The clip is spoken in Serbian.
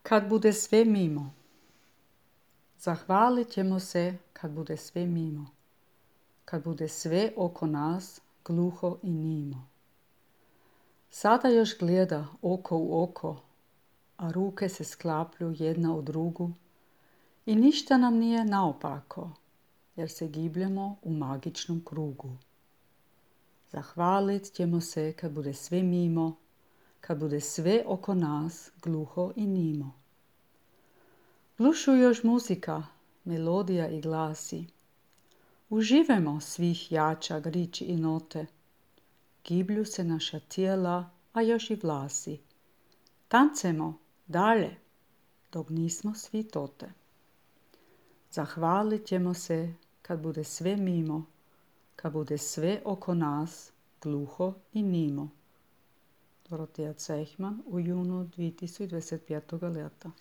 Kad bude sve mimo. Zahvalit ćemo se kad bude sve mimo. Kad bude sve oko nas gluho i nimo. Sada još gleda oko u oko, a ruke se sklaplju jedna u drugu i ništa nam nije naopako, jer se gibljemo u magičnom krugu. Zahvalit ćemo se kad bude sve mimo, kad bude sve oko nas gluho i nimo. Glušu još muzika, melodija i glasi. Uživajmo svih jača riči i note. Giblju se naša tijela, a još i vlasi. Tancemo dalje, dok nismo svi tote. Zahvalit ćemo se kad bude sve mimo, kad bude sve oko nas gluho i nimo. Dorotea Cejhman u junu 2025. leta.